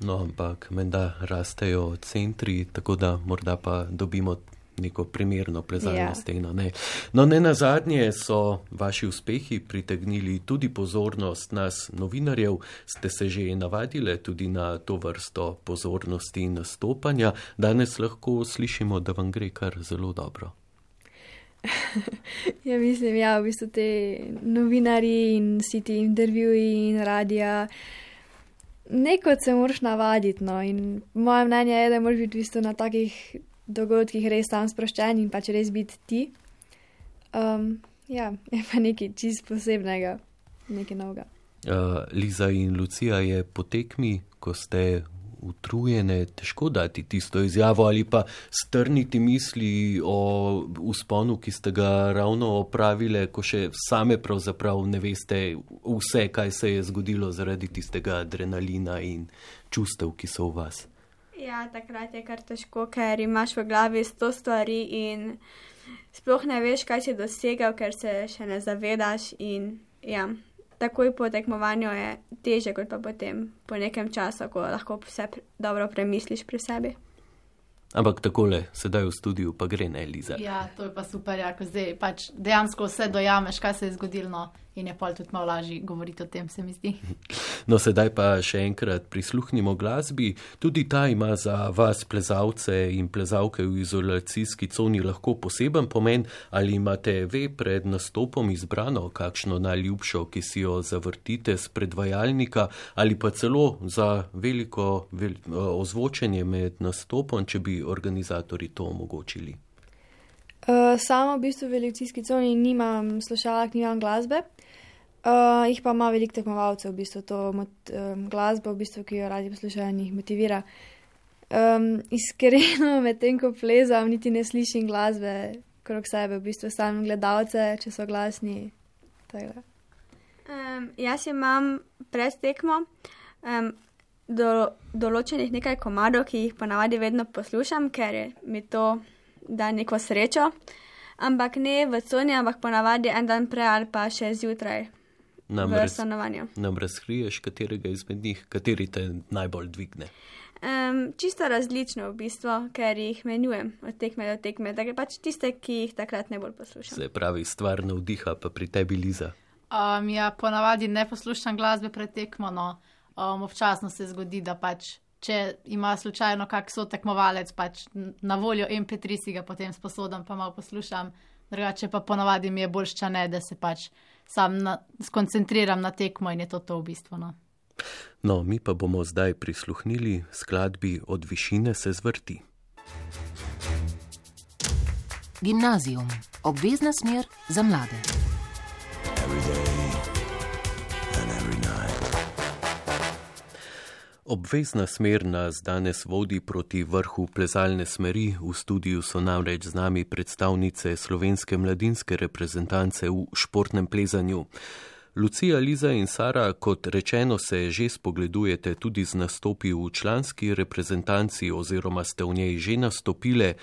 No, ampak menda rastejo centri, tako da morda pa dobimo neko primerno plezalno Ja. steno. Ne. No, ne nazadnje so vaši uspehi pritegnili tudi pozornost nas novinarjev. Ste se že navadile tudi na to vrsto pozornosti in nastopanja. Danes lahko slišimo, da vam gre kar zelo dobro. Ja, mislim, ja, v bistvu te novinari in vsi ti intervjuji in radija, neko se moraš navaditi, no, in moje mnenje je, da moraš biti v bistvu na takih dogodkih res tam sproščen in pač res biti ti. Um, ja, je pa nekaj čist posebnega, nekaj novega. Uh, Liza in Lucija, je po tekmi, ko ste utrujene, težko dati tisto izjavo ali pa strniti misli o vzponu, ki ste ga ravno opravile, ko še same pravzaprav ne veste vse, kaj se je zgodilo zaradi tistega adrenalina in čustev, ki so v vas. Ja, takrat je kar težko, ker imaš v glavi sto stvari in sploh ne veš, kaj si dosegel, ker se še ne zavedaš in ja, takoj po tekmovanju je teže, kot pa potem po nekem času, ko lahko vse dobro premisliš pri sebi. Ampak takole, sedaj v studiu pa gre, ne, Liza? Ja, to je pa super, ja, ko zdaj pač dejansko vse dojameš, kaj se je zgodilo, no, in je pol tudi malo lažje govoriti o tem, se mi zdi. No, sedaj pa še enkrat prisluhnimo glasbi. Tudi ta ima za vas, plezalce in plezalke v izolacijski coni, lahko poseben pomen. Ali imate ve pred nastopom izbrano kakšno najljubšo, ki si jo zavrtite z predvajalnika, ali pa celo za veliko vel, ozvočenje med nastopom, če bi organizatorji to omogočili? Uh, sama v bistvu v lekcijski coni nimam slušalk, nimam glasbe, uh, jih pa ima veliko tekmovalcev, v bistvu to mot, um, glasbo, v bistvu, ki jo radi poslušajo in jih motivira. Um, iskreno, med tem, ko plezam, niti ne slišim glasbe krog sebe, v bistvu sam gledalce, če so glasni. Um, jaz imam pred tekmo um, do, določenih nekaj komadov, ki jih ponavadi vedno poslušam, ker mi to da neko srečo, ampak ne v coni, ampak ponavadi en dan prej ali pa še zjutraj nam v raz, stanovanju. Nam razkriješ, katerega izmed njih, kateri te najbolj dvigne? Um, čisto različno v bistvu, ker jih menjujem od tekme do tekme, tako pač tiste, ki jih takrat najbolj poslušam. Se pravi, stvar navdiha pa pri tebi, Liza. Um, ja, ponavadi ne poslušam glasbe pred tekmo, no um, občasno se zgodi, da pač če ima slučajno kak sotekmovalec, pač na voljo em pe tri si ga potem sposodam, pa malo poslušam. Drugače pa ponavadi mi je boljšče ne, da se pač sam na, skoncentriram na tekmo in je to to v bistvu. No. no, mi pa bomo zdaj prisluhnili skladbi Od višine se zvrti. Gimnazijum. Obvezna smer za mlade. Obvezna smer nas danes vodi proti vrhu plezalne smeri. V studiu so namreč z nami predstavnice slovenske mladinske reprezentance v športnem plezanju. Lucija, Liza in Sara, kot rečeno, se že spogledujete tudi z nastopi v članski reprezentanci oziroma ste v njej že nastopile.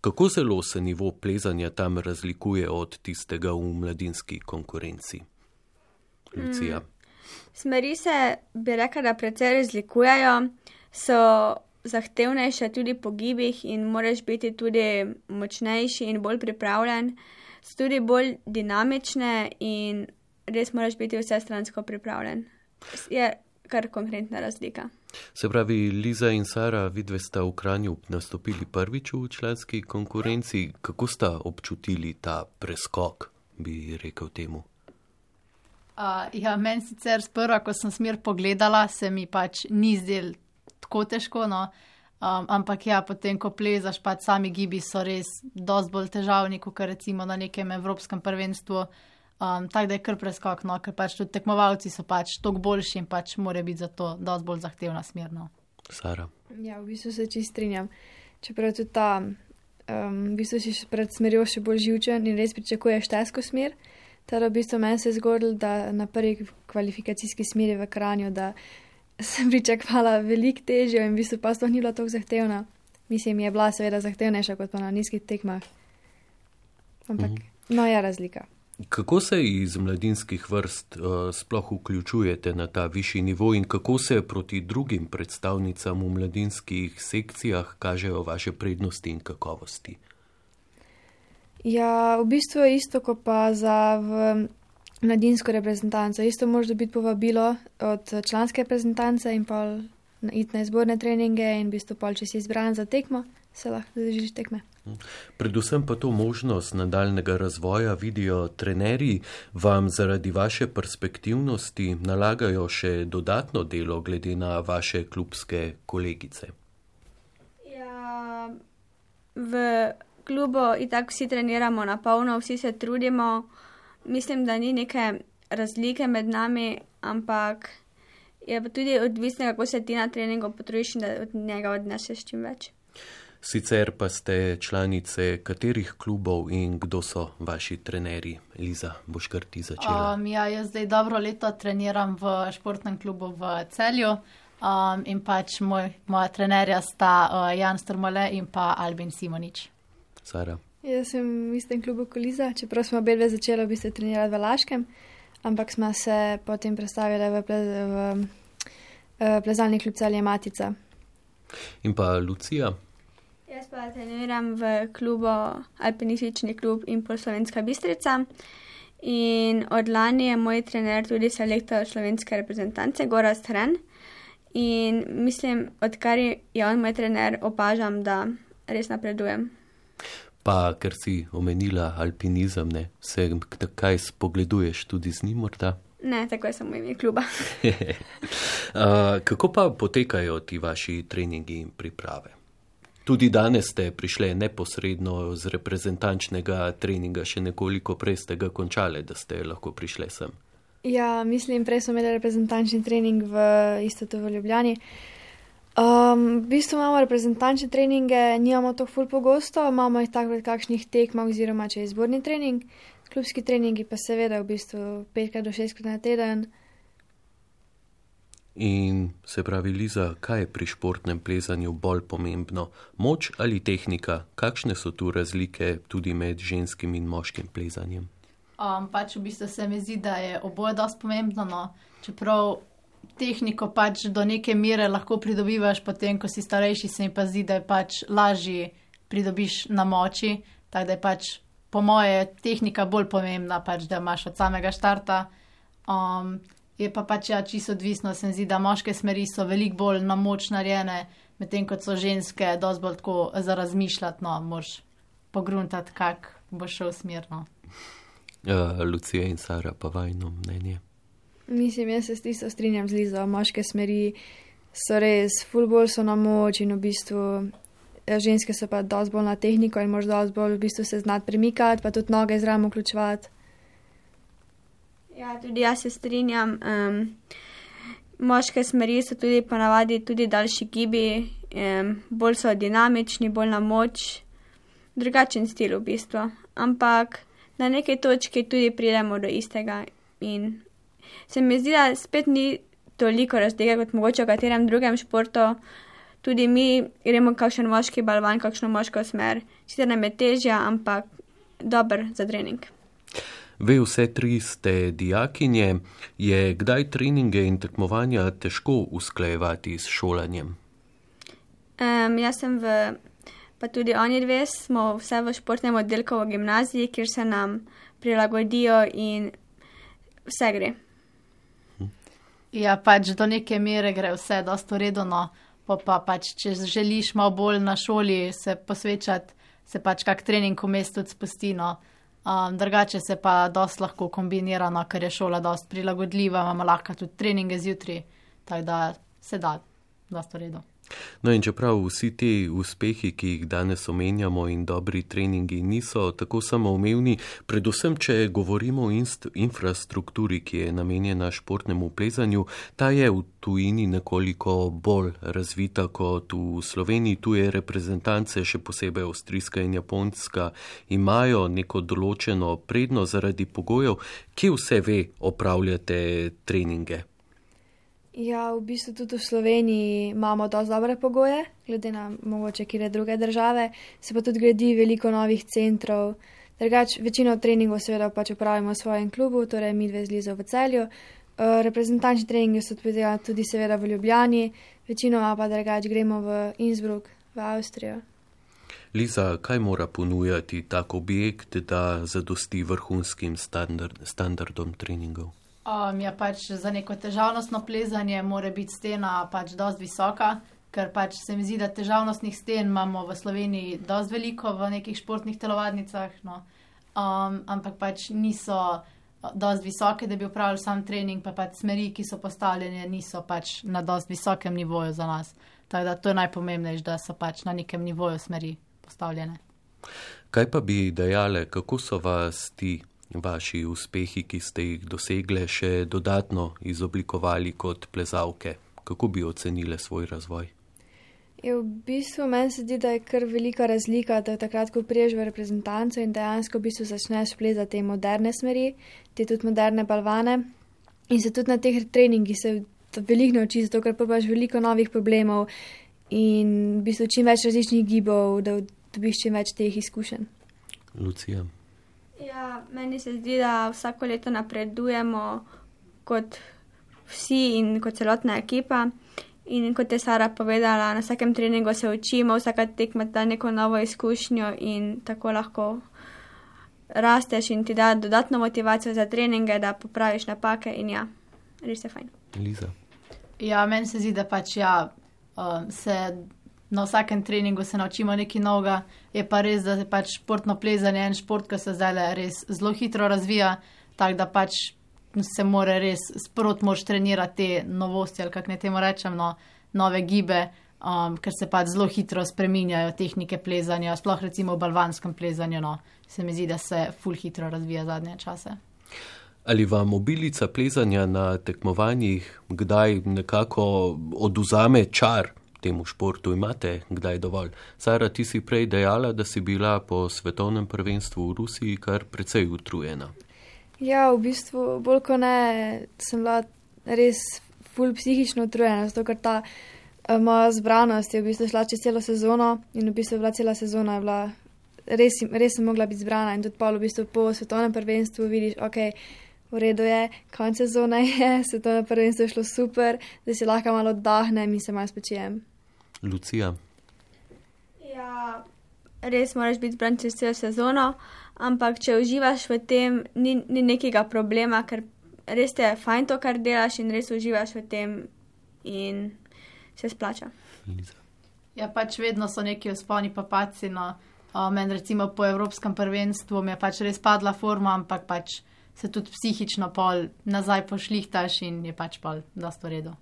Kako zelo se nivo plezanja tam razlikuje od tistega v mladinski konkurenci? Lucija. Mm. Smeri se, bi rekla, da precej razlikujejo, so zahtevnejše tudi po gibih in moraš biti tudi močnejši in bolj pripravljen, so tudi bolj dinamične in res moraš biti vsestransko pripravljen. Je kar konkretna razlika. Se pravi, Liza in Sara, vidve sta v Kranju nastopili prvič v članski konkurenci. Kako sta občutili ta preskok, bi rekel temu? Uh, ja, meni sicer sprva, ko sem smer pogledala, se mi pač ni zdel tako težko, no. um, ampak ja, potem, ko plezaš, pač sami gibi so res dosti bolj težavni, kot recimo na nekem evropskem prvenstvu, um, tako da je kar preskok, no, ker pač tudi tekmovalci so pač toliko boljši in pač mora biti zato dosti bolj zahtevna smer, no. Sara. Ja, v bistvu se čist strinjam. Čeprav tudi ta, um, v bistvu si pred smerjo še bolj živčen in res pričakuješ težko smer. Teda v bistvu meni se je zgodilo, da na prvi kvalifikacijski smeri v Kranju, da sem pričakvala veliko težjo in v bistvu pa sploh ni bila tako zahtevna. Mislim, je bila seveda zahtevnejša kot pa na nizkih tekmah. Ampak, mm. no, je razlika. Kako se iz mladinskih vrst uh, sploh vključujete na ta višji nivo in kako se proti drugim predstavnicam v mladinskih sekcijah kažejo vaše prednosti in kakovosti? Ja, v bistvu je isto, kot pa za v mladinsko reprezentanco. Isto moraš dobiti povabilo od članske reprezentance in pol iti na izborne treninge in v bistvu pol, če si izbran za tekmo, se lahko zadržiš tekme. Predvsem pa to možnost nadaljnega razvoja vidijo trenerji, vam zaradi vaše perspektivnosti nalagajo še dodatno delo glede na vaše klubske kolegice. Ja, v klubu itak vsi treniramo na polno, vsi se trudimo. Mislim, da ni neke razlike med nami, ampak je pa tudi odvisno, kako se ti na treningu potrudiš in da od njega odneseš čim več. Sicer pa ste članice katerih klubov in kdo so vaši trenerji? Liza, boš kar ti začela? Um, ja, jaz zdaj dobro leto treniram v športnem klubu v Celju um, in pač moj, moja trenerja sta uh, Jan Strmole in pa Albin Simonič. Sara. Jaz sem v istem klubu kot Liza, čeprav smo obedve začeli v bistvu trenirati v Laškem, ampak smo se potem predstavili v, ple, v, v plezalni klub Celje Matica. In pa Lucija? Jaz pa treniram v klubu Alpinistični klub Impulz Slovenska Bistrica in od lani je moj trener tudi selektor slovenske reprezentance Gorazd Hren in mislim, odkar je on moj trener, opažam, da res napredujem. Pa, ker si omenila alpinizem, ne, se kaj spogleduješ tudi z njim morda? Ne, tako je samo ime kluba. uh, kako pa potekajo ti vaši treningi in priprave? Tudi danes ste prišli neposredno z reprezentančnega treninga, še nekoliko prej ste ga končali, da ste lahko prišli sem. Ja, mislim, prej smo imeli reprezentančni trening v isto v Ljubljani. Um, v bistvu imamo reprezentančne treninge, nimamo to ful pogosto, imamo jih tako pred kakšnih tekmah oziroma če je izborni trening. Klubski treningi pa seveda v bistvu petkrat do šestkrat na teden. In se pravi, Liza, kaj je pri športnem plezanju bolj pomembno? Moč ali tehnika? Kakšne so tu razlike tudi med ženskim in moškim plezanjem? Um, pač v bistvu se mi zdi, da je oboje dosti pomembno, no. Čeprav tehniko pač do neke mere lahko pridobivaš, potem ko si starejši, se mi pa zdi, da je pač lažji pridobiš na moči, tako da je pač po moje tehnika bolj pomembna, pač da imaš od samega štarta. Um, Je pa pač ja, čisto odvisno, se mi zdi, da moške smeri so veliko bolj na moč narejene, medtem kot so ženske dosti bolj tako za razmišljati, no, moraš pogruntati, kak bo šel smerno. Uh, Lucija in Sara, pa vajno mnenje? Mislim, jaz se s tisto strinjam z Lizo, moške smeri so res, ful bolj so na moč in v bistvu ženske so pa dosti bolj na tehniko in moraš dosti bolj v bistvu se znati premikati, pa tudi noge zraven vključevati. Ja, tudi jaz se strinjam. Um, moške smeri so tudi ponavadi tudi daljši gibi, um, bolj so dinamični, bolj na moč, drugačen stil v bistvu. Ampak na neki točki tudi pridemo do istega in se mi zdi, da spet ni toliko razlike kot mogoče v katerem drugem športu. Tudi mi gremo kakšen moški balvan, kakšno moško smer. Sicer nam je težja, ampak dober za trening. Ve, vse tri ste dijakinje, je kdaj treninge in tekmovanja težko usklajevati s šolanjem? Um, jaz sem v, pa tudi oni dve smo vse v športnem oddelku v gimnaziji, kjer se nam prilagodijo in vse gre. Ja, pač do neke mere gre vse dosti uredno, pa, pa pač, če želiš malo bolj na šoli se posvečati, se pač kak trening vmes tudi spusti, no. Um, drugače se pa dosti lahko kombinira, no, ker je šola dosti prilagodljiva, imamo lahko tudi treninge zjutraj, tako da se da dosti v redu. No in čeprav vsi ti uspehi, ki jih danes omenjamo in dobri treningi niso tako samoumevni, predvsem, če govorimo o inst- infrastrukturi, ki je namenjena športnemu plezanju, ta je v tujini nekoliko bolj razvita kot v Sloveniji. Tuje reprezentance, še posebej avstrijska in japonska, imajo neko določeno prednost zaradi pogojev. Kje vse ve opravljate treninge? Ja, v bistvu tudi v Sloveniji imamo dosti dobre pogoje, glede na mogoče kire druge države, se pa tudi gradi veliko novih centrov. Drugač, večino treningov seveda pač upravimo v svojem klubu, torej mi dve z Lizo v Celju. Uh, reprezentančni treningi so tudi seveda v Ljubljani, večinoma pa drugač gremo v Innsbruck, v Avstrijo. Liza, kaj mora ponujati tak objekt, da zadosti vrhunskim standard, standardom treningov? Um, ja, pač za neko težavnostno plezanje mora biti stena pač dosti visoka, ker pač se mi zdi, da težavnostnih sten imamo v Sloveniji dosti veliko v nekih športnih telovadnicah, no. Um, ampak pač niso dosti visoke, da bi upravljali sam trening, pa pač smeri, ki so postavljene, niso pač na dosti visokem nivoju za nas. Tako da to je najpomembnejše, da so pač na nekem nivoju smeri postavljene. Kaj pa bi dejale, kako so vas ti vaši uspehi, ki ste jih dosegle, še dodatno izoblikovali kot plezalke? Kako bi ocenile svoj razvoj? Je v bistvu meni se zdi, da je kar velika razlika, da takrat, ko priješ v reprezentanco in dejansko v bistvu začneš plezati te moderne smeri, te tudi moderne balvane in se tudi na teh treningih se veliko nauči, zato ker probaš veliko novih problemov in v bistvu čim več različnih gibov, da dobiš čim več teh izkušenj. Lucija? Ja, meni se zdi, da vsako leto napredujemo kot vsi in kot celotna ekipa. In kot je Sara povedala, na vsakem treningu se učimo, vsaka tekma da neko novo izkušnjo in tako lahko rasteš in ti da dodatno motivacijo za treninge, da popraviš napake in ja, res je fajn. Liza? Ja, meni se zdi, da pač ja, uh, se na vsakem treningu se naučimo nekaj novega. Je pa res, da je pač športno plezanje en šport, ki se zdaj res zelo hitro razvija, tako da pač se mora res sprot moraš trenirati te novosti, ali kako ne temu rečem, no, nove gibe. um, ker se pač zelo hitro spreminjajo tehnike plezanja, sploh recimo v balvanskem plezanju, no, se mi zdi, da se ful hitro razvija zadnje čase. Ali vam obilica plezanja na tekmovanjih kdaj nekako oduzame čar temu športu? Imate kdaj dovolj? Sara, ti si prej dejala, da si bila po svetovnem prvenstvu v Rusiji kar precej utrujena. Ja, v bistvu bolj ko ne, sem bila res ful psihično utrujena, zato ker ta uh, moja zbranost je v bistvu šla čez celo sezono in v bistvu bila cela sezona, je bila res, res sem mogla biti zbrana in tudi pol v bistvu po svetovnem prvenstvu vidiš, ok, v redu je, konec sezona je, svetovno prvenstvo je šlo super, da si lahko malo oddahnem in se malo spočijem. Lucija? Ja, res moraš biti zbran čez celo sezono, ampak če uživaš v tem, ni, ni nekega problema, ker res te je fajn to, kar delaš in res uživaš v tem in se splača. Liza? Ja, pač vedno so neki vzponi pa padci, no. Uh, meni recimo po evropskem prvenstvu mi je pač res padla forma, ampak pač se tudi psihično pol nazaj pošlihtaš in je pač pol dosti v redu.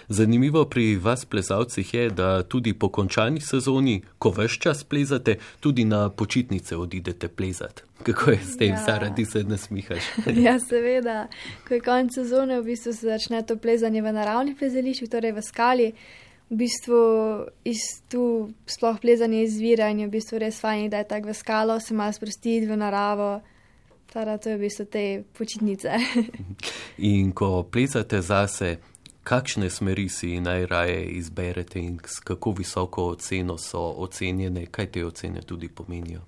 Zanimivo pri vas plezalcih je, da tudi po končani sezoni, ko ves čas plezate, tudi na počitnice odidete plezati. Kako je s tem, ja. Sara, ti se nasmihaš? Ja, seveda. Ko je konec sezone, v bistvu se začne to plezanje v naravnih plezališčih, torej v skali. V bistvu iz tu sploh plezanje izvira in je v bistvu res fajn, da je tak v skalo, se malo sprostiti v naravo. Tada, to je v bistvu te počitnice. In ko plezate zase, kakšne smeri si najraje izberete in s kako visoko oceno so ocenjene, kaj te ocene tudi pomenijo?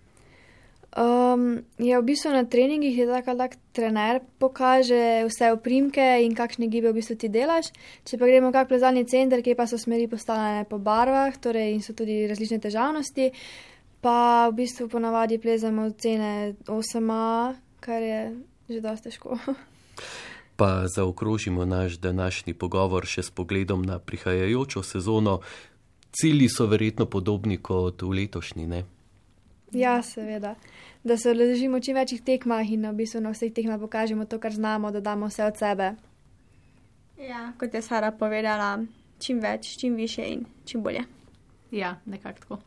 Um, ja, v bistvu na treningih je tako, da trener pokaže vse oprimke in kakšne gibe v bistvu ti delaš. Če pa gremo kak plezalni center, kjer pa so smeri postavljene po barvah, torej in so tudi različne težavnosti, pa v bistvu ponavadi plezamo ocene osem A, kar je že dosti težko. Pa zaokrožimo naš današnji pogovor še s pogledom na prihajajočo sezono. Cilji so verjetno podobni kot v letošnji, ne? Ja, seveda. Da se odležimo čim večjih tekmah in v bistvu na vseh tekmah pokažemo to, kar znamo, da damo vse od sebe. Ja, kot je Sara povedala, čim več, čim više in čim bolje. Ja, nekako tako.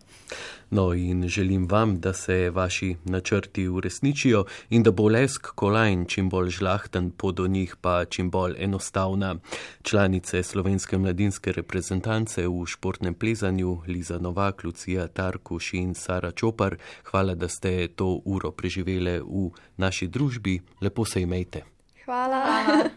No in želim vam, da se vaši načrti uresničijo in da bo lesk kolajn čim bolj žlahten, pot do njih pa čim bolj enostavna. Članice slovenske mladinske reprezentance v športnem plezanju Liza Novak, Lucija Tarkuš in Sara Čopar, hvala, da ste to uro preživele v naši družbi. Lepo se imejte. Hvala. Hvala.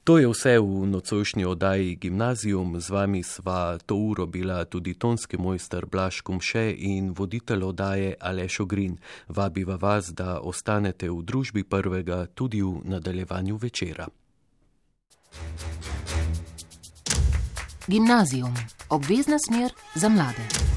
To je vse v nocojšnji oddaji Gimnazijum. Z vami sva to uro bila tudi tonski mojster Blaž Kumše in voditelj oddaje Aleš Ogrin. Vabiva vas, da ostanete v družbi prvega tudi v nadaljevanju večera. Gimnazijum. Obvezna smer za mlade.